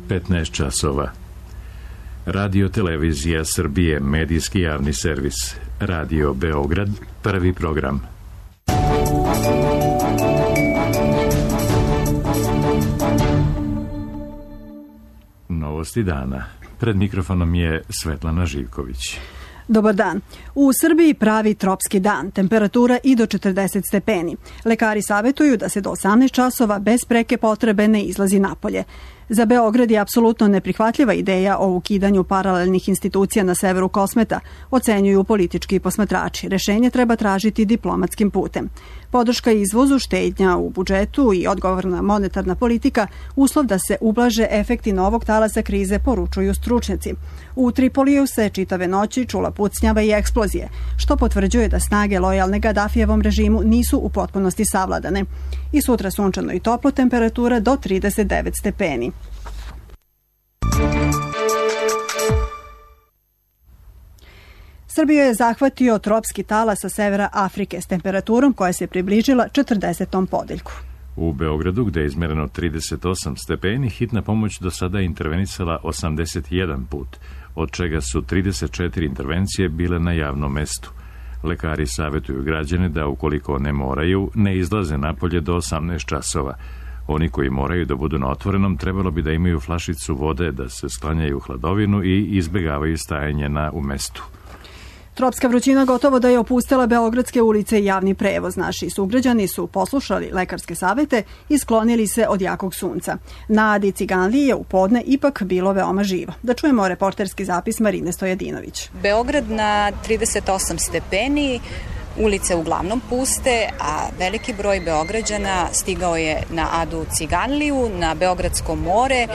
15 časova. Radio Televizija Srbije, medijski javni servis. Radio Beograd, prvi program. Novosti dana. Pred mikrofonom je Svetlana Živković. Dobar dan. U Srbiji pravi tropski dan, temperatura i do 40 stepeni. Lekari savjetuju da se do 18 časova bez preke potrebe ne izlazi napolje. Za Beograd je apsolutno neprihvatljiva ideja o ukidanju paralelnih institucija na severu Kosmeta, ocenjuju politički posmatrači. Rešenje treba tražiti diplomatskim putem. Podrška izvozu, štednja u budžetu i odgovorna monetarna politika uslov da se ublaže efekti novog talasa krize, poručuju stručnjaci. U Tripoliju se čitave noći čula pucnjava i eksplozije, što potvrđuje da snage lojalne Gadafijevom režimu nisu u potpunosti savladane. I sutra sunčano i toplo, temperatura do 39 stepeni. Srbiju je zahvatio tropski talas sa severa Afrike s temperaturom koja se približila 40. podeljku. U Beogradu, gde je izmereno 38 stepeni, hitna pomoć do sada je intervenisala 81 put, od čega su 34 intervencije bile na javnom mestu. Lekari savjetuju građane da, ukoliko ne moraju, ne izlaze napolje do 18 časova. Oni koji moraju da budu na otvorenom trebalo bi da imaju flašicu vode, da se sklanjaju u hladovinu i izbegavaju stajanje u mestu. Tropska vrućina gotovo da je opustila beogradske ulice i javni prevoz. Naši sugrađani su poslušali lekarske savete i sklonili se od jakog sunca. Na Adi Ciganliji je u podne ipak bilo veoma živo. Da čujemo reporterski zapis Marine Stojadinović. Beograd na 38 stepeni, ulice uglavnom puste, a veliki broj Beograđana stigao je na Adu Ciganliju, na Beogradsko more.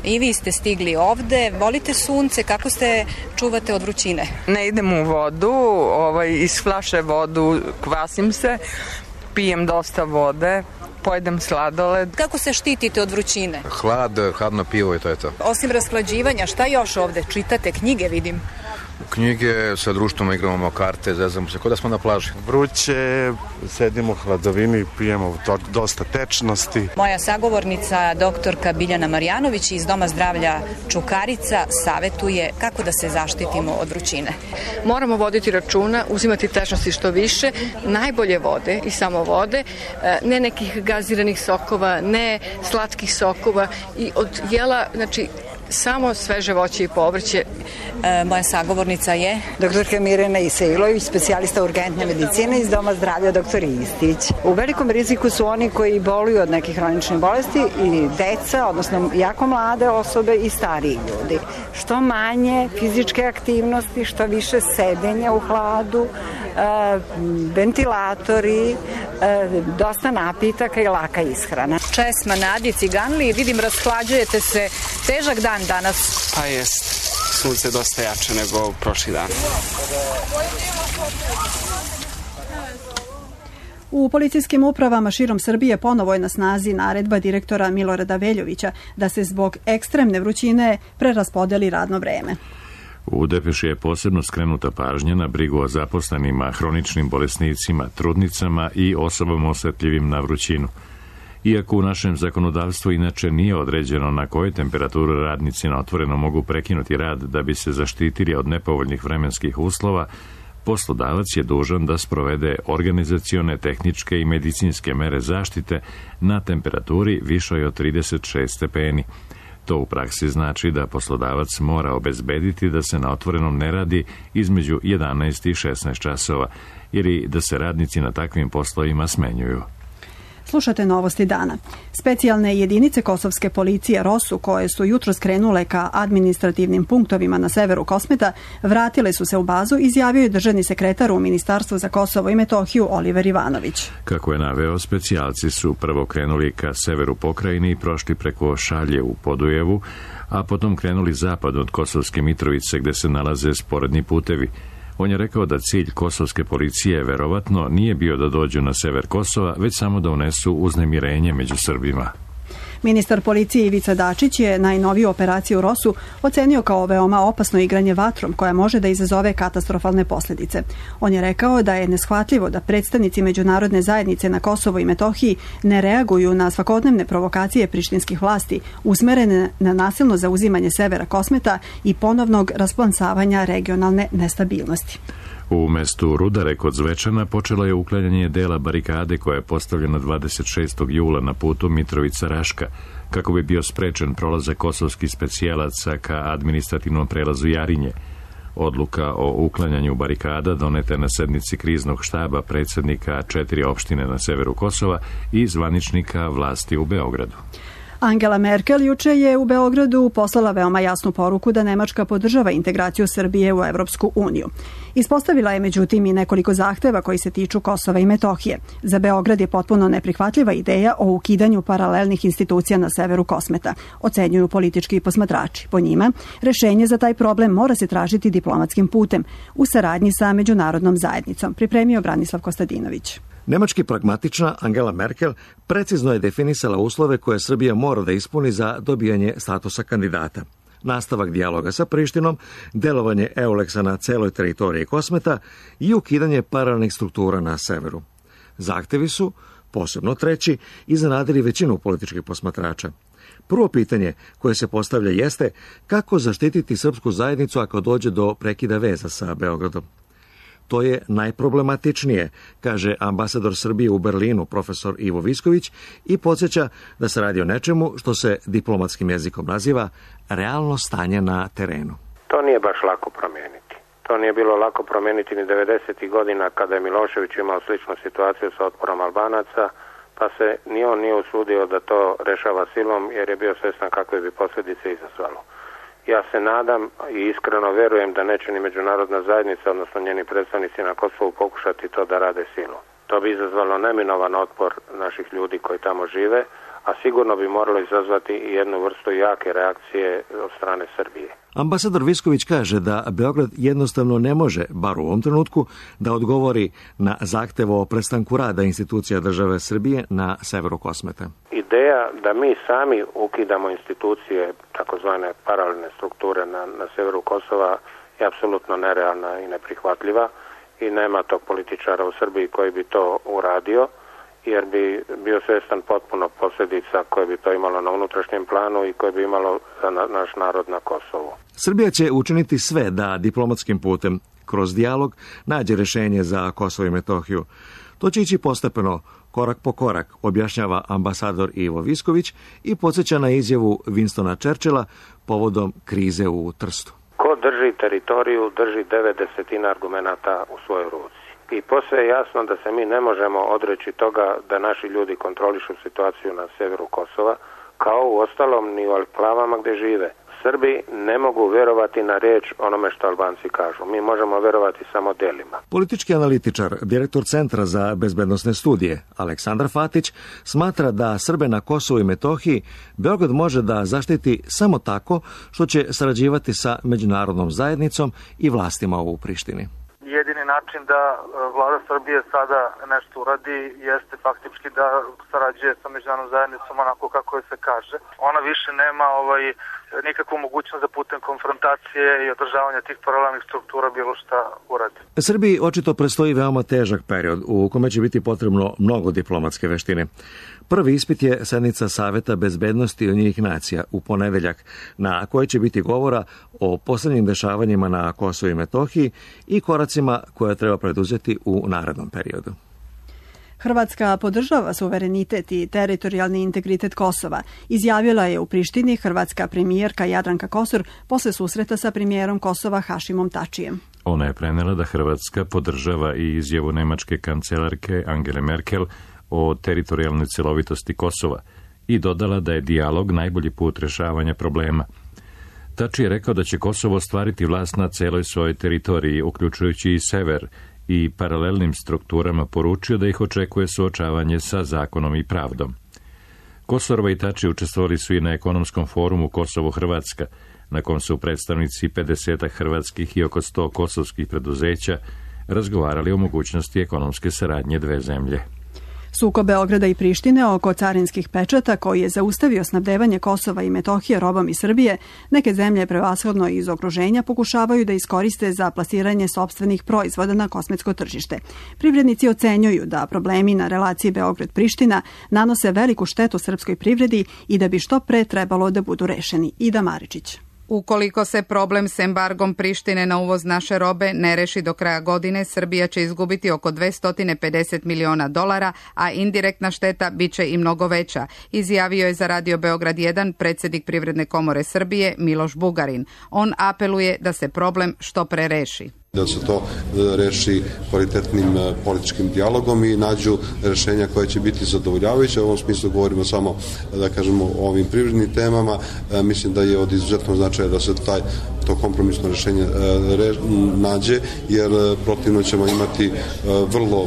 I vi ste stigli ovde. Volite sunce, kako se čuvate od vrućine? Ne idem u vodu, iz flaše vodu kvasim se, pijem dosta vode, pojedem sladoled. Kako se štitite od vrućine? Hladno pivo i to je to. Osim rashlađivanja, šta još ovde? Čitate knjige, vidim. Knjige, sa društvom igramo karte, zezamo se, kao da smo na plaži. Vruće, sedimo u hladovini, pijemo dosta tečnosti. Moja sagovornica, doktorka Biljana Marjanović iz Doma zdravlja Čukarica, savetuje kako da se zaštitimo od vrućine. Moramo voditi računa, uzimati tečnosti što više, najbolje vode i samo vode, ne nekih gaziranih sokova, ne slatkih sokova i od jela, znači, samo sveže voće i povrće. Moja sagovornica je doktorka Mirjana Isailović, specijalista urgentne medicine iz Doma zdravlja dr. Istić. U velikom riziku su oni koji boluju od nekih hroničnih bolesti i deca, odnosno jako mlade osobe i stariji ljudi. Što manje fizičke aktivnosti, što više sedenja u hladu, ventilatori, dosta napitaka i laka ishrana. Česma na Adi Ciganliji, vidim rashlađujete se, težak dan danas. Pa jest, sunce je dosta jače nego prošli dan. U policijskim upravama širom Srbije ponovo je na snazi naredba direktora Milorada Veljovića da se zbog ekstremne vrućine preraspodeli radno vreme. U depeši je posebno skrenuta pažnja na brigu o zaposlenima, hroničnim bolesnicima, trudnicama i osobama osetljivim na vrućinu. Iako u našem zakonodavstvu inače nije određeno na kojoj temperaturi radnici na otvoreno mogu prekinuti rad da bi se zaštitili od nepovoljnih vremenskih uslova, poslodavac je dužan da sprovede organizacione, tehničke i medicinske mere zaštite na temperaturi višoj od 36 stepeni. To u praksi znači da poslodavac mora obezbediti da se na otvorenom ne radi između 11 i 16 časova ili da se radnici na takvim poslovima smenjuju. Slušate novosti dana. Specijalne jedinice kosovske policije ROSU, koje su jutro skrenule ka administrativnim punktovima na severu Kosmeta, vratile su se u bazu, izjavio je državni sekretar u Ministarstvu za Kosovo i Metohiju Oliver Ivanović. Kako je naveo, specijalci su prvo krenuli ka severu pokrajine i prošli preko Šalje u Podujevu, a potom krenuli zapad od Kosovske Mitrovice gde se nalaze sporedni putevi. On je rekao da cilj kosovske policije verovatno nije bio da dođu na sever Kosova, već samo da unesu uznemirenje među Srbima. Ministar policije Ivica Dačić je najnoviju operaciju Rosu ocenio kao veoma opasno igranje vatrom koja može da izazove katastrofalne posljedice. On je rekao da je neshvatljivo da predstavnici međunarodne zajednice na Kosovo i Metohiji ne reaguju na svakodnevne provokacije prištinskih vlasti usmerene na nasilno zauzimanje severa Kosmeta i ponovnog rasplansavanja regionalne nestabilnosti. U mestu Rudare kod Zvečana počelo je uklanjanje dela barikade koja je postavljena 26. jula na putu Mitrovica-Raška, kako bi bio sprečen prolazak kosovskih specijalaca ka administrativnom prelazu Jarinje. Odluka o uklanjanju barikada doneta je na sednici kriznog štaba predsjednika 4 opštine na severu Kosova i zvaničnika vlasti u Beogradu. Angela Merkel juče je u Beogradu poslala veoma jasnu poruku da Nemačka podržava integraciju Srbije u Evropsku uniju. Ispostavila je međutim i nekoliko zahteva koji se tiču Kosova i Metohije. Za Beograd je potpuno neprihvatljiva ideja o ukidanju paralelnih institucija na severu Kosmeta, ocenjuju politički posmatrači. Po njima, rešenje za taj problem mora se tražiti diplomatskim putem u saradnji sa međunarodnom zajednicom, pripremio Branislav Kostadinović. Nemački pragmatična Angela Merkel precizno je definisala uslove koje Srbija mora da ispuni za dobijanje statusa kandidata. Nastavak dijaloga sa Prištinom, delovanje EULEX-a na celoj teritoriji Kosmeta i ukidanje paralelnih struktura na severu. Zahtevi su, posebno treći, iznenadili većinu političkih posmatrača. Prvo pitanje koje se postavlja jeste kako zaštititi srpsku zajednicu ako dođe do prekida veza sa Beogradom. To je najproblematičnije, kaže ambasador Srbije u Berlinu, profesor Ivo Visković, i podsjeća da se radi o nečemu što se diplomatskim jezikom naziva realno stanje na terenu. To nije baš lako promijeniti. To nije bilo lako promijeniti ni 90. godina kada je Milošević imao sličnu situaciju sa otporom Albanaca, pa se ni on nije usudio da to rešava silom jer je bio svjestan kakve bi posljedice izazvalo. Ja se nadam i iskreno vjerujem da neće ni međunarodna zajednica, odnosno njeni predstavnici na Kosovu, pokušati to da rade silom. To bi izazvalo neminovan otpor naših ljudi koji tamo žive, a sigurno bi moralo izazvati i jednu vrstu jake reakcije od strane Srbije. Ambasador Visković kaže da Beograd jednostavno ne može, bar u ovom trenutku, da odgovori na zahtev o prestanku rada institucija države Srbije na severu Kosmeta. Ideja da mi sami ukidamo institucije, takozvane paralelne strukture na severu Kosova, je apsolutno nerealna i neprihvatljiva i nema tog političara u Srbiji koji bi to uradio, jer bi bio svjestan potpuno posljedica koje bi to imalo na unutrašnjem planu i koje bi imalo za naš narod na Kosovu. Srbija će učiniti sve da diplomatskim putem, kroz dijalog, nađe rješenje za Kosovo i Metohiju. To će ići postepeno, korak po korak, objašnjava ambasador Ivo Visković i podsjeća na izjavu Winstona Churchilla povodom krize u Trstu. Ko drži teritoriju, drži 90 argumenata u svojoj ruci. I posve je jasno da se mi ne možemo odreći toga da naši ljudi kontrolišu situaciju na severu Kosova, kao u ostalom ni u enklavama gdje žive. Srbi ne mogu vjerovati na riječ onome što Albanci kažu. Mi možemo vjerovati samo delima. Politički analitičar, direktor Centra za bezbednosne studije, Aleksandar Fatić, smatra da Srbe na Kosovu i Metohiji Beograd može da zaštiti samo tako što će sarađivati sa međunarodnom zajednicom i vlastima u Prištini. Jedini način da vlada Srbije sada nešto uradi jeste faktički da sarađuje sa međunarodnom zajednicom onako kako je se kaže. Ona više nema nikakvu mogućnost da putem konfrontacije i održavanja tih paralelnih struktura bilo šta uradi. Srbiji očito predstoji veoma težak period u kome će biti potrebno mnogo diplomatske veštine. Prvi ispit je sednica Saveta bezbednosti Ujedinjenih nacija u ponedeljak, na kojoj će biti govora o posljednjim dešavanjima na Kosovu i Metohiji i koracima koje treba preduzeti u narednom periodu. Hrvatska podržava suverenitet i teritorijalni integritet Kosova, izjavila je u Prištini hrvatska premijerka Jadranka Kosor posle susreta sa premijerom Kosova Hašimom Tačijem. Ona je prenela da Hrvatska podržava i izjavu nemačke kancelarke Angele Merkel o teritorijalnoj celovitosti Kosova i dodala da je dijalog najbolji put rešavanja problema. Tači je rekao da će Kosovo ostvariti vlast na celoj svojoj teritoriji, uključujući i sever, i paralelnim strukturama poručio da ih očekuje suočavanje sa zakonom i pravdom. Kosorova i Tači učestvovali su i na ekonomskom forumu Kosovo-Hrvatska, na kom su predstavnici 50 hrvatskih i oko 100 kosovskih preduzeća razgovarali o mogućnosti ekonomske saradnje dve zemlje. Sukob Beograda i Prištine oko carinskih pečata koji je zaustavio snabdevanje Kosova i Metohije robom iz Srbije, neke zemlje prevashodno iz okruženja pokušavaju da iskoriste za plasiranje sopstvenih proizvoda na kosmetsko tržište. Privrednici ocenjuju da problemi na relaciji Beograd-Priština nanose veliku štetu srpskoj privredi i da bi što pre trebalo da budu rešeni. Ida Maričić. Ukoliko se problem s embargom Prištine na uvoz naše robe ne reši do kraja godine, Srbija će izgubiti oko $250 miliona, a indirektna šteta bit će i mnogo veća, izjavio je za Radio Beograd 1 predsjednik Privredne komore Srbije Miloš Bugarin. On apeluje da se problem što pre reši. Da se to reši kvalitetnim političkim dijalogom i nađu rešenja koje će biti zadovoljavajuće. U ovom smislu govorimo samo, da kažemo, o ovim privrednim temama. Mislim da je od izuzetnog značaja da se to kompromisno rešenje nađe, jer protivno ćemo imati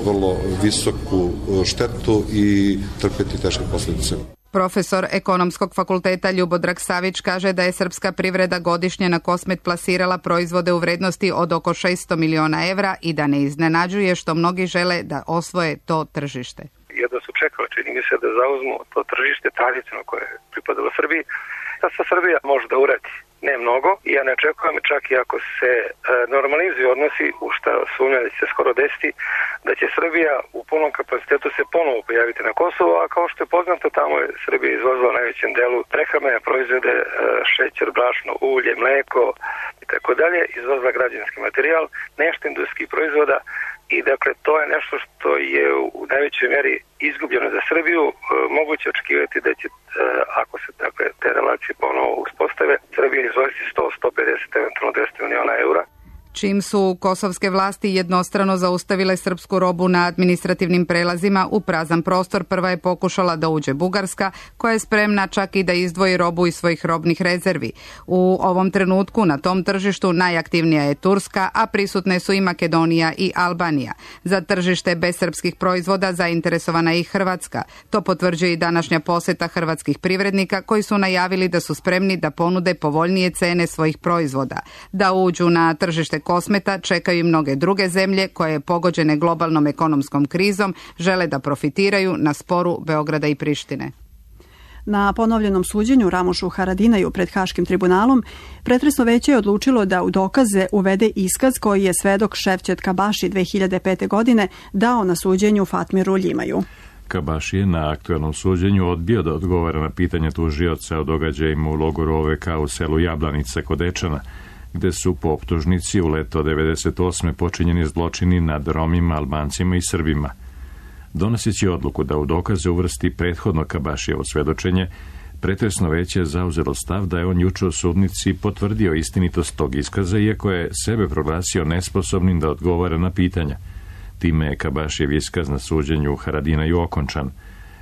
vrlo visoku štetu i trpeti teške posljedice. Profesor Ekonomskog fakulteta Ljubodrag Savić kaže da je srpska privreda godišnje na Kosmet plasirala proizvode u vrednosti od oko 600 miliona evra i da ne iznenađuje što mnogi žele da osvoje to tržište. Jedno su čekali, čini mi se, da zauzmu to tržište tradicionalno koje je pripadalo Srbiji. Da se Srbija može da uradi ne mnogo i ja ne očekujem, čak i ako se normalizuju odnosi, u šta sumnjam da će se skoro desiti, da će Srbija u punom kapacitetu se ponovo pojaviti na Kosovo, a kao što je poznato, tamo je Srbija izvozila najvećem delu prehrambene proizvode, šećer, brašno, ulje, mleko i tako dalje, izvozila građevinski materijal, nešto industrijskih proizvoda. I dakle, to je nešto što je u najvećoj meri izgubljeno za Srbiju. Moguće očekivati da će, ako se dakle, te relacije ponovo uspostave, Srbija izvoziti 100, 150, eventualno 200 miliona eura. Čim su kosovske vlasti jednostrano zaustavile srpsku robu na administrativnim prelazima u prazan prostor, prva je pokušala da uđe Bugarska, koja je spremna čak i da izdvoji robu iz svojih robnih rezervi. U ovom trenutku na tom tržištu najaktivnija je Turska, a prisutne su i Makedonija i Albanija. Za tržište bez srpskih proizvoda zainteresovana je i Hrvatska. To potvrđuje i današnja poseta hrvatskih privrednika koji su najavili da su spremni da ponude povoljnije cene svojih proizvoda. Da uđu na tržište Kosmeta čekaju i mnoge druge zemlje koje, pogođene globalnom ekonomskom krizom, žele da profitiraju na sporu Beograda i Prištine. Na ponovljenom suđenju Ramušu Haradinaju pred Haškim tribunalom, pretresno veće je odlučilo da u dokaze uvede iskaz koji je svedok Ševčet Kabaši 2005. godine dao na suđenju Fatmiru Ljimaju. Kabaši je na aktuelnom suđenju odbio da odgovara na pitanje tužioca o događajima u logoru OVK u selu Jablanica kod Dečana, gde su po optužnici u leto 98. počinjeni zločini nad Romima, Albancima i Srbima. Donoseći odluku da u dokaze uvrsti prethodno Kabašijevo svedočenje, pretresno veće je zauzelo stav da je on juče u sudnici potvrdio istinitost tog iskaza, iako je sebe proglasio nesposobnim da odgovara na pitanja. Time je Kabašijev iskaz na suđenju Haradinaju okončan.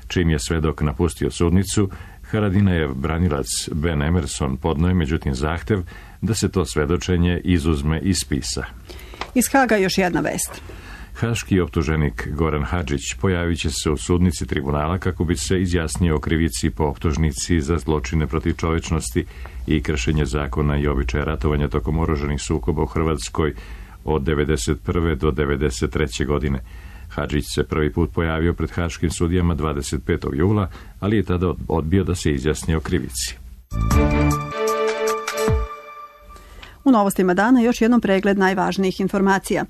Čim je svedok napustio sudnicu, Haradinajev branilac Ben Emerson podnoje međutim zahtev da se to svedočenje izuzme iz spisa. Iz Haga još jedna vest. Haški optuženik Goran Hadžić pojavit će se u sudnici tribunala kako bi se izjasnio o krivici po optužnici za zločine protiv čovečnosti i kršenje zakona i običaja ratovanja tokom oružanih sukoba u Hrvatskoj od 1991. do 1993. godine. Hadžić se prvi put pojavio pred haškim sudijama 25. jula, ali je tada odbio da se izjasni o krivici. U novostima dana još jednom pregled najvažnijih informacija.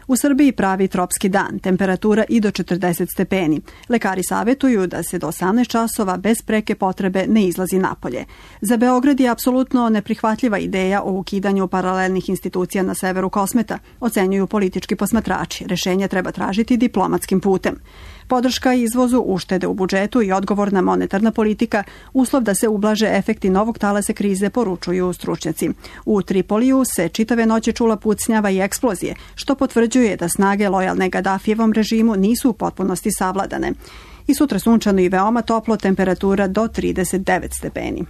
U Srbiji pravi tropski dan, temperatura i do 40 stepeni. Lekari savjetuju da se do 18 časova bez preke potrebe ne izlazi napolje. Za Beograd je apsolutno neprihvatljiva ideja o ukidanju paralelnih institucija na severu Kosmeta, ocenjuju politički posmatrači. Rešenje treba tražiti diplomatskim putem. Podrška izvozu, uštede u budžetu i odgovorna monetarna politika uslov da se ublaže efekti novog talasa krize, poručuju stručnjaci. U Tripoliju se čitave noći čula pucnjava i eksplozije, što potvrđuje da snage lojalne Gadafijevom režimu nisu u potpunosti savladane. I sutra sunčano i veoma toplo, temperatura do 39 stepeni.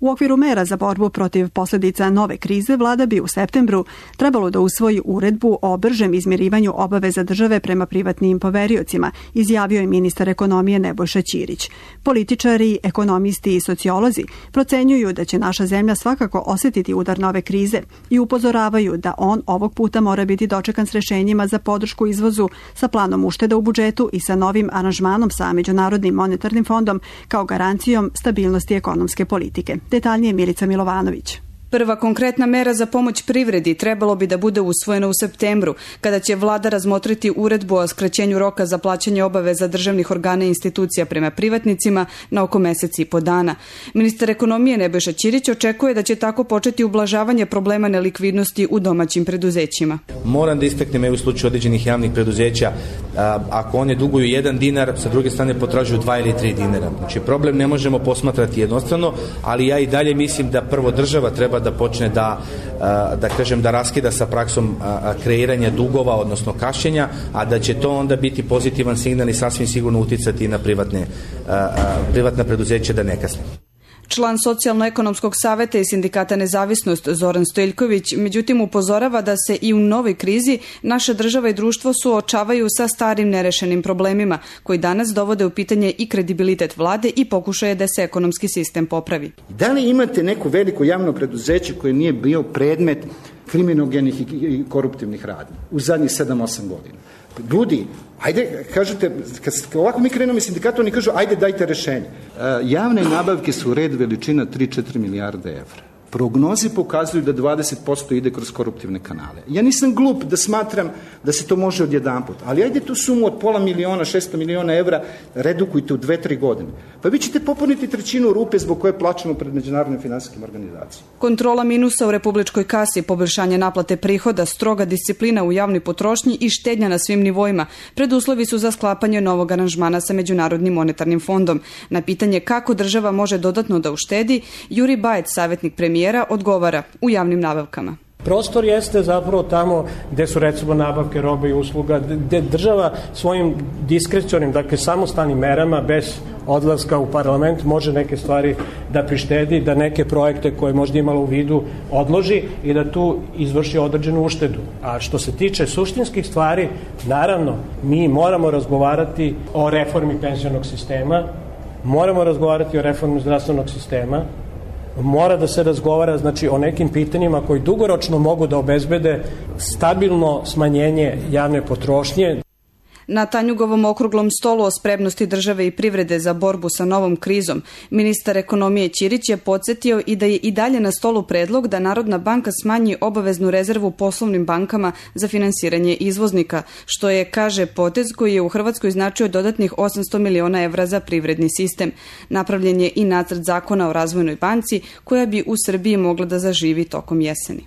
U okviru mera za borbu protiv posljedica nove krize, vlada bi u septembru trebalo da usvoji uredbu o bržem izmirivanju obaveza države prema privatnim poveriocima, izjavio je ministar ekonomije Nebojša Ćirić. Političari, ekonomisti i sociolozi procenjuju da će naša zemlja svakako osjetiti udar nove krize i upozoravaju da on ovog puta mora biti dočekan s rešenjima za podršku izvozu, sa planom ušteda u budžetu i sa novim aranžmanom sa Međunarodnim monetarnim fondom kao garancijom stabilnosti ekonomske politike. Detaljnije Milica Milovanović. Prva konkretna mera za pomoć privredi trebalo bi da bude usvojena u septembru, kada će vlada razmotriti uredbu o skraćenju roka za plaćanje obaveza državnih organa i institucija prema privatnicima na oko mesec i po dana. Ministar ekonomije Nebojša Ćirić očekuje da će tako početi ublažavanje problema nelikvidnosti u domaćim preduzećima. Moram da istaknem u slučaju određenih javnih preduzeća, ako one duguju 1 dinar, sa druge strane potražuju 2 ili 3 dinara. Znači problem ne možemo posmatrati jednostrano, ali ja i dalje mislim da prvo država treba da počne da raskida sa praksom kreiranja dugova, odnosno kašnjenja, a da će to onda biti pozitivan signal i sasvim sigurno uticati na privatna preduzeća da ne kasne. Član Socijalno-ekonomskog saveta i sindikata Nezavisnost Zoran Stojiljković međutim upozorava da se i u novoj krizi naša država i društvo suočavaju sa starim nerešenim problemima koji danas dovode u pitanje i kredibilitet vlade i pokušaje da se ekonomski sistem popravi. Da li imate neko veliko javno preduzeće koje nije bio predmet kriminogenih i koruptivnih radnji u zadnjih 7-8 godina? Ljudi, ajde, kažete, kad ovako mi krenemo iz sindikata, oni kažu, ajde dajte rešenje. Javne nabavke su red veličina 3-4 milijarde evra. Prognoze pokazuju da 20% ide kroz koruptivne kanale. Ja nisam glup da smatram da se to može odjedanput, ali ajde tu sumu od pola miliona, 600 miliona evra redukujte u 2-3 godine. Pa vi ćete popuniti trećinu rupe zbog koje plaćamo pred međunarodnim finansijskim organizacijama. Kontrola minusa u republičkoj kasi, poboljšanje naplate prihoda, stroga disciplina u javnoj potrošnji i štednja na svim nivoima preduslovi su za sklapanje novog aranžmana sa Međunarodnim monetarnim fondom. Na pitanje kako država može dodatno da uštedi, Juri Bajec, savjetnik premijera, odgovara u javnim nabavkama. Prostor jeste zapravo tamo gde su recimo nabavke robe i usluga, gde država svojim diskrecionim, dakle samostalnim merama bez odlaska u parlament može neke stvari da prištedi, da neke projekte koje možda imala u vidu odloži i da tu izvrši određenu uštedu. A što se tiče suštinskih stvari, naravno, mi moramo razgovarati o reformi penzionog sistema, moramo razgovarati o reformi zdravstvenog sistema, mora da se razgovara o nekim pitanjima koji dugoročno mogu da obezbede stabilno smanjenje javne potrošnje. Na Tanjugovom okruglom stolu o spremnosti države i privrede za borbu sa novom krizom, ministar ekonomije Ćirić je podsjetio i da je i dalje na stolu predlog da Narodna banka smanji obaveznu rezervu poslovnim bankama za finansiranje izvoznika, što je, kaže, potez koji je u Hrvatskoj značio dodatnih 800 miliona evra za privredni sistem. Napravljen je i nacrt zakona o razvojnoj banci koja bi u Srbiji mogla da zaživi tokom jeseni.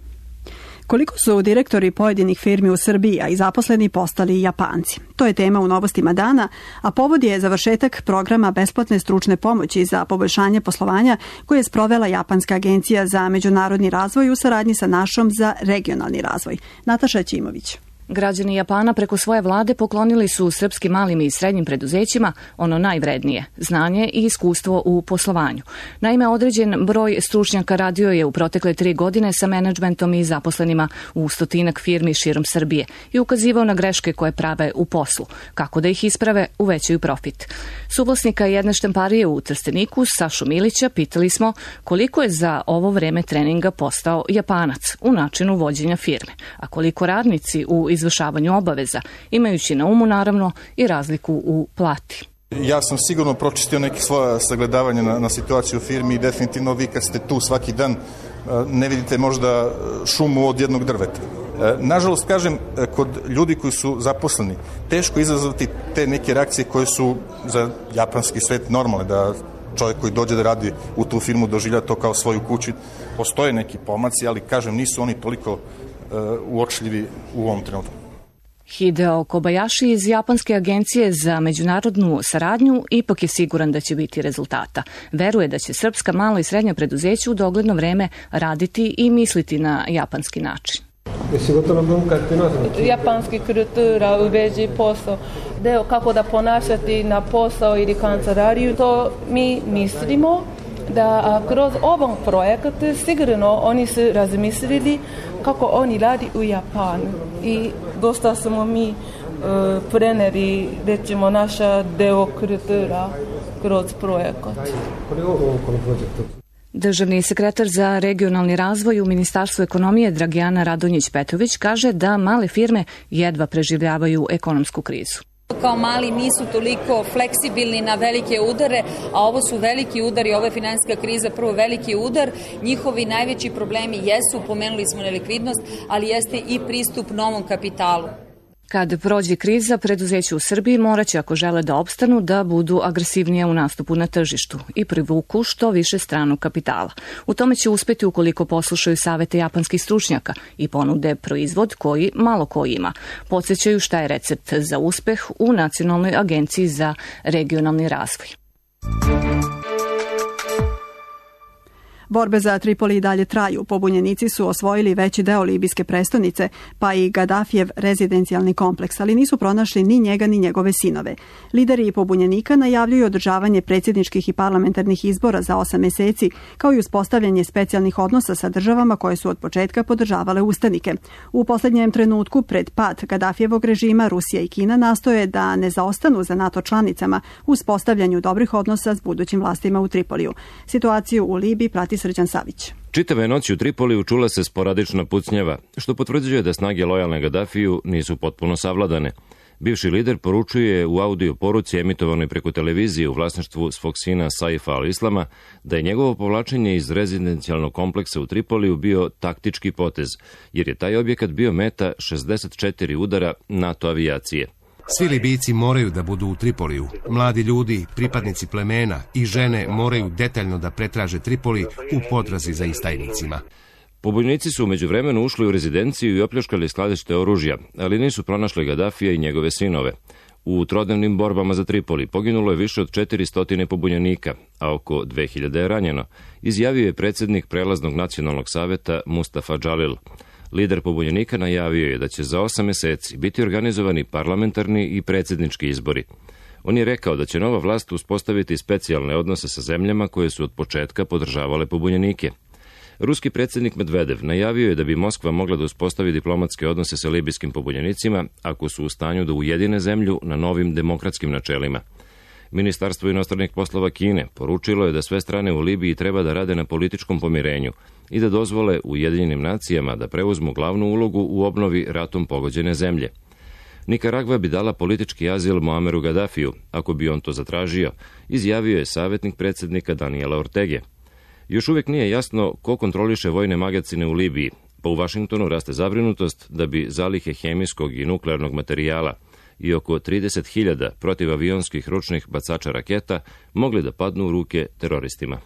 Koliko su direktori pojedinih firmi u Srbiji, a i zaposleni, postali Japanci? To je tema u Novostima dana, a povod je završetak programa besplatne stručne pomoći za poboljšanje poslovanja koje je sprovela Japanska agencija za međunarodni razvoj u saradnji sa našom za regionalni razvoj. Nataša Ćimović. Građani Japana preko svoje vlade poklonili su srpskim malim i srednjim preduzećima ono najvrednije, znanje i iskustvo u poslovanju. Naime, određen broj stručnjaka radio je u protekle 3 godine sa menadžmentom i zaposlenima u stotinak firmi širom Srbije i ukazivao na greške koje prave u poslu, kako da ih isprave, uvećaju profit. Suvlasnika jedne štamparije u Trsteniku, Sašu Milića, pitali smo koliko je za ovo vreme treninga postao Japanac u načinu vođenja firme, a koliko radnici u izvršavanju obaveza, imajući na umu naravno i razliku u plati. Ja sam sigurno pročistio neke svoje sagledavanje na situaciju u firmi i definitivno vi kad ste tu svaki dan ne vidite možda šumu od jednog drveta. Nažalost, kažem, kod ljudi koji su zaposleni, teško izazvati te neke reakcije koje su za japanski svet normalne, da čovjek koji dođe da radi u tu firmu doživlja to kao svoju kuću. Postoje neki pomaci, ali kažem, nisu oni toliko uočljivi u ovom trenutku. Hideo Kobayashi iz Japanske agencije za međunarodnu saradnju ipak je siguran da će biti rezultata. Veruje da će srpska mala i srednja preduzeća u dogledno vreme raditi i misliti na japanski način. Japanski kultura u vezi posao, deo kako da ponašati na posao ili kancelariju, to mi mislimo da kroz ovom projektu sigurno oni su razmislili kako oni radi u Japanu i dosta smo mi preneli, recimo, naša deo kultura kroz projekat. Državni sekretar za regionalni razvoj u Ministarstvu ekonomije Dragijana Radonjić-Petrović kaže da male firme jedva preživljavaju ekonomsku krizu. Kao mali nisu toliko fleksibilni na velike udare, a ovo su veliki udari, ovo je finansijska kriza, prvo veliki udar. Njihovi najveći problemi jesu, pomenuli smo nelikvidnost, ali jeste i pristup novom kapitalu. Kad prođe kriza, preduzeća u Srbiji moraće, ako žele da opstanu, da budu agresivnije u nastupu na tržištu i privuku što više stranog kapitala. U tome će uspeti ukoliko poslušaju savete japanskih stručnjaka i ponude proizvod koji malo ko ima. Podsjećaju šta je recept za uspeh u Nacionalnoj agenciji za regionalni razvoj. Borbe za Tripoli i dalje traju. Pobunjenici su osvojili veći deo libijske prestonice, pa i Gadafijev rezidencijalni kompleks, ali nisu pronašli ni njega ni njegove sinove. Lideri pobunjenika najavljuju održavanje predsjedničkih i parlamentarnih izbora za 8 meseci, kao i uspostavljanje specijalnih odnosa sa državama koje su od početka podržavale ustanike. U posljednjem trenutku, pred pad Gadafijevog režima, Rusija i Kina nastoje da ne zaostanu za NATO članicama u uspostavljanju dobrih odnosa s budućim vlastima u Tripoliju. Situaciju u Libiji prati Srđan Savić. Čitave noći u Tripoliju čula se sporadična pucnjava, što potvrđuje da snage lojalne Gadafiju nisu potpuno savladane. Bivši lider poručuje u audio poruci emitovanoj preko televizije u vlasništvu svog sina Saifa al-Islama da je njegovo povlačenje iz rezidencijalnog kompleksa u Tripoliju bio taktički potez, jer je taj objekat bio meta 64 udara NATO avijacije. Svi Libijci moraju da budu u Tripoliju. Mladi ljudi, pripadnici plemena i žene moraju detaljno da pretraže Tripoli u potrazi za istajnicima. Pobunjenici su umeđu vremenu ušli u rezidenciju i opljačkali skladište oružja, ali nisu pronašli Gadafija i njegove sinove. U trodnevnim borbama za Tripoli poginulo je više od 400 pobunjenika, a oko 2000 je ranjeno, izjavio je predsjednik Prelaznog nacionalnog saveta Mustafa Džalil. Lider pobunjenika najavio je da će za 8 meseci biti organizovani parlamentarni i predsjednički izbori. On je rekao da će nova vlast uspostaviti specijalne odnose sa zemljama koje su od početka podržavale pobunjenike. Ruski predsjednik Medvedev najavio je da bi Moskva mogla da uspostavi diplomatske odnose sa libijskim pobunjenicima ako su u stanju da ujedine zemlju na novim demokratskim načelima. Ministarstvo inostranih poslova Kine poručilo je da sve strane u Libiji treba da rade na političkom pomirenju i da dozvole Ujedinjenim nacijama da preuzmu glavnu ulogu u obnovi ratom pogođene zemlje. Nikaragva bi dala politički azil Muammeru Gadafiju, ako bi on to zatražio, izjavio je savjetnik predsjednika Daniela Ortege. Još uvijek nije jasno ko kontroliše vojne magacine u Libiji, pa u Vašingtonu raste zabrinutost da bi zalihe hemijskog i nuklearnog materijala i oko 30.000 protivavionskih ručnih bacača raketa mogli da padnu u ruke teroristima.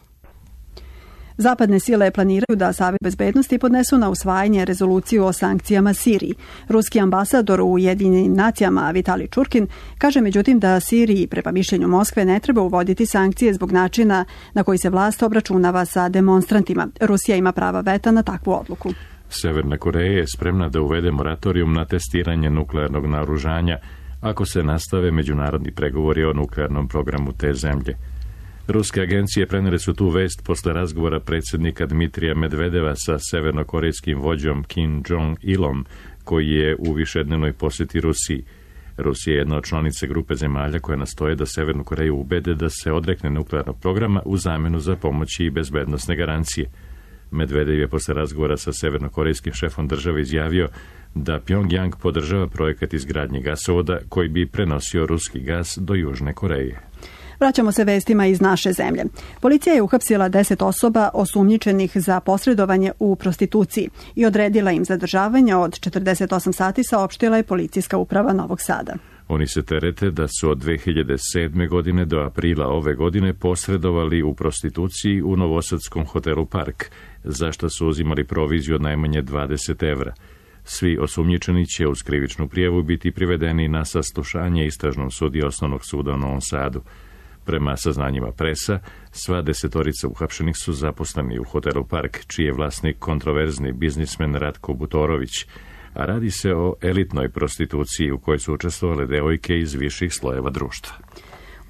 Zapadne sile planiraju da Savet bezbednosti podnesu na usvajanje rezoluciju o sankcijama Siriji. Ruski ambasador u Ujedinjenim nacijama Vitali Čurkin kaže međutim da Siriji, prema mišljenju Moskve, ne treba uvoditi sankcije zbog načina na koji se vlast obračunava sa demonstrantima. Rusija ima prava veta na takvu odluku. Severna Koreja je spremna da uvede moratorijum na testiranje nuklearnog naoružanja ako se nastave međunarodni pregovori o nuklearnom programu te zemlje. Ruske agencije prenijele su tu vest posle razgovora predsjednika Dmitrija Medvedeva sa severnokorejskim vođom Kim Jong-ilom, koji je u višednevnoj posjeti Rusiji. Rusija je jedna od članice grupe zemalja koja nastoje da Severnu Koreju ubede da se odrekne nuklearnog programa u zamjenu za pomoći i bezbednosne garancije. Medvedev je posle razgovora sa severnokorejskim šefom države izjavio da Pyongyang podržava projekat izgradnje gasovoda koji bi prenosio ruski gas do Južne Koreje. Vraćamo se vestima iz naše zemlje. Policija je uhapsila 10 osoba osumnjičenih za posredovanje u prostituciji i odredila im zadržavanje od 48 sati, saopštila je Policijska uprava Novog Sada. Oni se terete da su od 2007. godine do aprila ove godine posredovali u prostituciji u novosadskom hotelu Park, za što su uzimali proviziju od najmanje 20 evra. Svi osumnjičeni će uz krivičnu prijavu biti privedeni na saslušanje istražnom sudiji Osnovnog suda u Novom Sadu. Prema saznanjima presa, sva 10 uhapšenih su zaposleni u hotelu Park, čiji je vlasnik kontroverzni biznismen Ratko Butorović, a radi se o elitnoj prostituciji u kojoj su učestvovale devojke iz viših slojeva društva.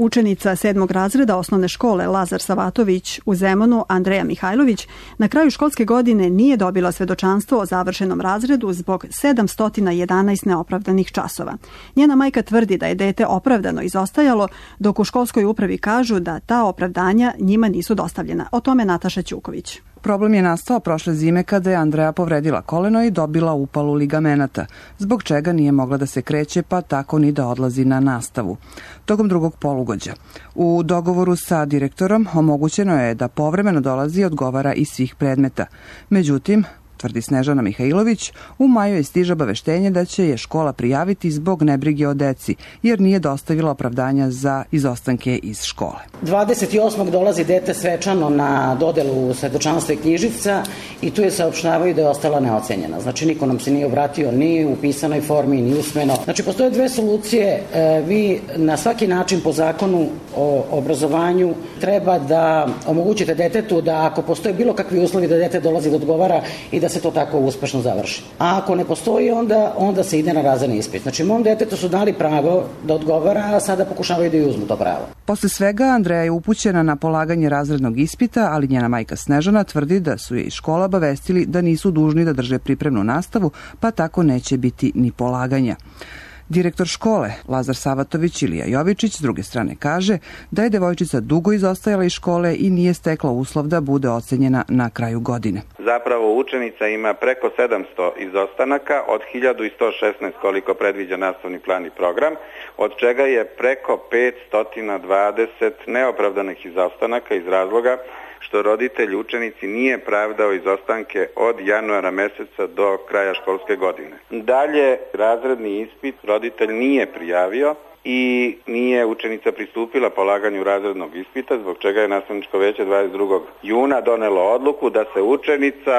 Učenica 7. razreda osnovne škole Lazar Savatović u Zemunu, Andreja Mihajlović, na kraju školske godine nije dobila svedočanstvo o završenom razredu zbog 711 neopravdanih časova. Njena majka tvrdi da je dete opravdano izostajalo, dok u školskoj upravi kažu da ta opravdanja njima nisu dostavljena. O tome Nataša Ćuković. Problem je nastao prošle zime kada je Andreja povredila koleno i dobila upalu ligamenata, zbog čega nije mogla da se kreće, pa tako ni da odlazi na nastavu. Tokom drugog polugođa. U dogovoru sa direktorom omogućeno je da povremeno dolazi i odgovara iz svih predmeta. Međutim, tvrdi Snežana Mihajlović, u maju je stiže obaveštenje da će je škola prijaviti zbog nebrige o deci, jer nije dostavila opravdanja za izostanke iz škole. 28. dolazi dete svečano na dodelu svedočanstva i knjižica i tu je saopštavaju da je ostala neocenjena. Znači, niko nam se nije obratio ni u pisanoj formi, ni usmeno. Znači, postoje dve solucije. Vi na svaki način po zakonu o obrazovanju treba da omogućite detetu da ako postoje bilo kakvi uslovi da dete dolazi da odgovara i da se to tako uspešno završi. A ako ne postoji, onda se ide na razredni ispit. Znači, mom detetu su dali pravo da odgovara, a sada pokušavaju da i uzmu to pravo. Posle svega, Andreja je upućena na polaganje razrednog ispita, ali njena majka Snežana tvrdi da su je iz škola obavestili da nisu dužni da drže pripremnu nastavu, pa tako neće biti ni polaganja. Direktor škole, Lazar Savatović Ilija Jovičić, s druge strane kaže da je devojčica dugo izostajala iz škole i nije stekla uslov da bude ocenjena na kraju godine. Zapravo učenica ima preko 700 izostanaka od 1116 koliko predviđa nastavni plan i program, od čega je preko 520 neopravdanih izostanaka iz razloga što roditelj učenici nije pravdao izostanke od januara meseca do kraja školske godine. Dalje, razredni ispit roditelj nije prijavio i nije učenica pristupila polaganju razrednog ispita, zbog čega je nastavničko veće 22. juna donelo odluku da se učenica,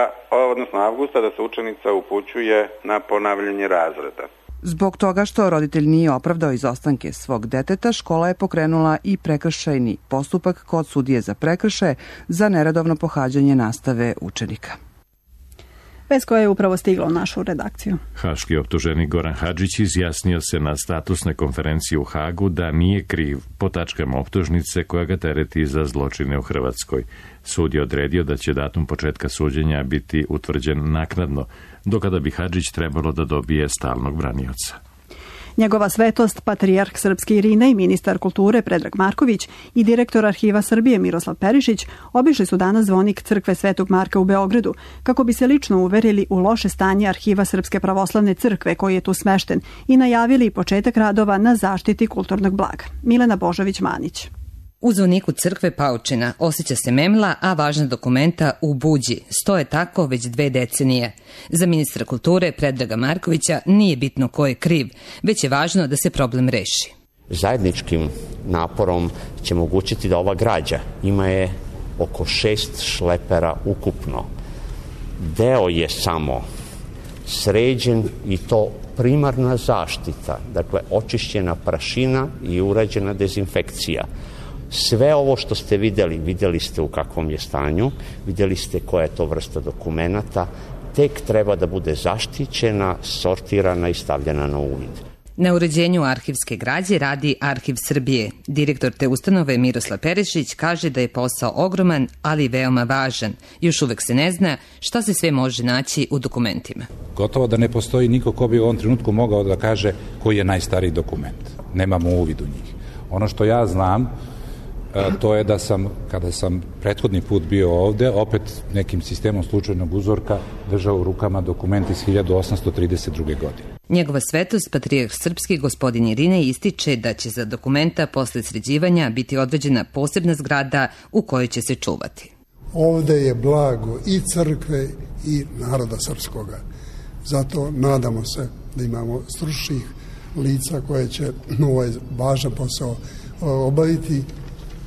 odnosno avgusta, da se učenica upućuje na ponavljanje razreda. Zbog toga što roditelj nije opravdao izostanke svog deteta, škola je pokrenula i prekršajni postupak kod sudije za prekršaje za neredovno pohađanje nastave učenika. Bez koje je upravo stiglo u našu redakciju. Haški optuženik Goran Hadžić izjasnio se na statusnoj konferenciji u Hagu da nije kriv po tačkama optužnice koja ga tereti za zločine u Hrvatskoj. Sud je odredio da će datum početka suđenja biti utvrđen naknadno, do kada bi Hadžić trebalo da dobije stalnog branioca. Njegova svetost, patrijarh srpski Irine i ministar kulture Predrag Marković i direktor Arhiva Srbije Miroslav Perišić obišli su danas zvonik crkve Svetog Marka u Beogradu kako bi se lično uverili u loše stanje Arhiva Srpske pravoslavne crkve koji je tu smešten i najavili početak radova na zaštiti kulturnog blaga. Milena Božović-Manić. U zvoniku crkve Paučina osjeća se memla, a važna dokumenta u buđi. Stoje tako već 2 decenije. Za ministra kulture Predraga Markovića nije bitno ko je kriv, već je važno da se problem reši. Zajedničkim naporom će omogućiti da ova građa, ima je oko 6 šlepera ukupno. Deo je samo sređen i to primarna zaštita, dakle očišćena prašina i urađena dezinfekcija. Sve ovo što ste vidjeli ste u kakvom je stanju, vidjeli ste koja je to vrsta dokumenata, tek treba da bude zaštićena, sortirana i stavljena na uvid. Na uređenju arhivske građe radi Arhiv Srbije. Direktor te ustanove Miroslav Perišić kaže da je posao ogroman, ali veoma važan. Još uvek se ne zna šta se sve može naći u dokumentima. Gotovo da ne postoji niko ko bi u ovom trenutku mogao da kaže koji je najstariji dokument. Nemamo uvid u njih. Ono što ja znam, to je da sam, kada sam prethodni put bio ovde, opet nekim sistemom slučajnog uzorka držao u rukama dokument iz 1832. godine. Njegova svetost, patrijarh srpski gospodin Irine, ističe da će za dokumenta posle sređivanja biti određena posebna zgrada u kojoj će se čuvati. Ovde je blago i crkve i naroda srpskoga. Zato nadamo se da imamo stručnih lica koje će ovaj važan posao obaviti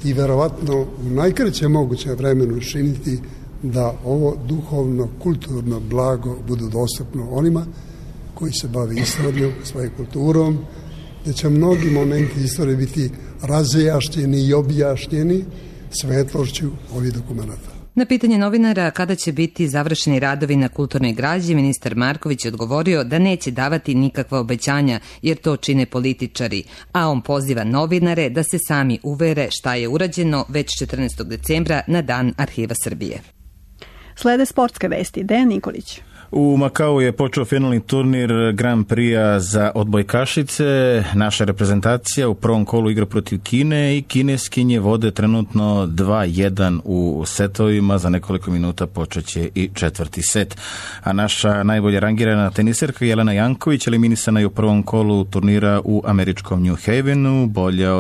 i verovatno u najkraćem mogućem vremenu učiniti da ovo duhovno, kulturno blago budu dostupno onima koji se bave istorijom, svojom kulturom, da će mnogi momenti istorije biti razjašnjeni i objašnjeni svetlošću ovih dokumenta. Na pitanje novinara kada će biti završeni radovi na kulturnoj građi, ministar Marković je odgovorio da neće davati nikakva obećanja jer to čine političari, a on poziva novinare da se sami uvere šta je urađeno već 14. decembra na Dan Arhiva Srbije. Slede sportske vesti. Dejan Nikolić. U Makau je počeo finalni turnir Grand Prix-a za odbojkašice. Naša reprezentacija u prvom kolu igra protiv Kine i kineskinje vode trenutno 2-1 u setovima. Za nekoliko minuta počeće i četvrti set. A naša najbolje rangirana teniserka Jelena Janković eliminisana je u prvom kolu turnira u američkom New Havenu. Bolja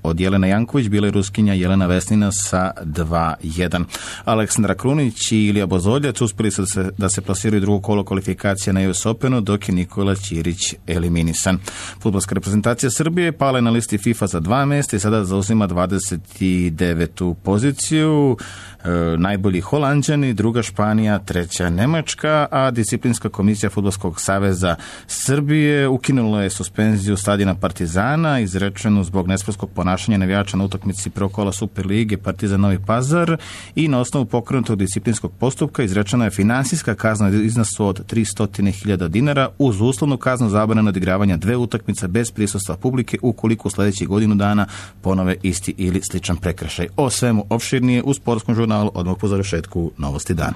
od Jelena Janković bila je Ruskinja Jelena Vesnina sa 2-1. Aleksandra Krunić i Ilija Bozoljac uspjeli su da se plasiraju drugo kolo kvalifikacija na US Openu, dok je Nikola Ćirić eliminisan. Fudbalska reprezentacija Srbije pala je na listi FIFA za 2 mjesta i sada zauzima 29. poziciju. Najbolji Holanđani, druga Španija, treća Nemačka, a disciplinska komisija Fudbalskog saveza Srbije ukinula je suspenziju stadiona Partizana izrečenu zbog nesportskog ponašanja navijača na utakmici prvog kola Superlige Partizan Novi Pazar i na osnovu pokrenutog disciplinskog postupka izrečena je finansijska kazna iznosu od 300.000 dinara uz uslovnu kaznu zabrane odigravanja 2 utakmice bez prisustva publike ukoliko u sljedećih godinu dana ponove isti ili sličan prekršaj. O svemu opširnije u sportskom žurnalu odmah po završetku Novosti dana.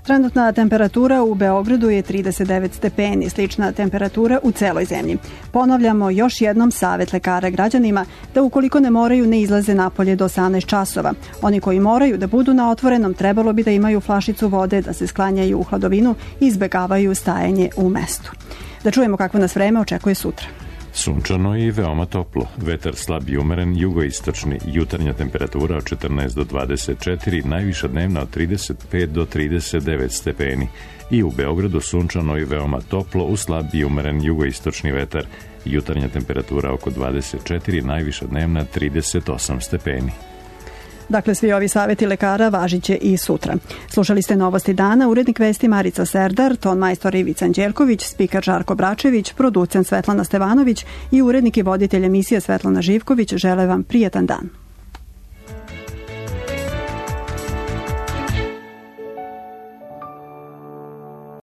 Trenutna temperatura u Beogradu je 39 stepeni, slična temperatura u celoj zemlji. Ponavljamo još jednom savjet lekara građanima da ukoliko ne moraju ne izlaze napolje do 18 časova. Oni koji moraju da budu na otvorenom trebalo bi da imaju flašicu vode, da se sklanjaju u hladovinu i izbegavaju stajanje u mestu. Da čujemo kakvo nas vreme očekuje sutra. Sunčano i veoma toplo. Vetar slab i umeren, jugoistočni. Jutarnja temperatura od 14 do 24, najviša dnevna od 35 do 39 stepeni. I u Beogradu sunčano i veoma toplo, uz slab i umeren jugoistočni vetar. Jutarnja temperatura oko 24, najviša dnevna 38 stepeni. Dakle, svi ovi savjeti lekara važiće i sutra. Slušali ste Novosti dana, urednik vesti Marica Serdar, ton majstor Ivica Anđelković, spiker Žarko Bračević, producent Svetlana Stevanović i urednik i voditelj emisije Svetlana Živković žele vam prijetan dan.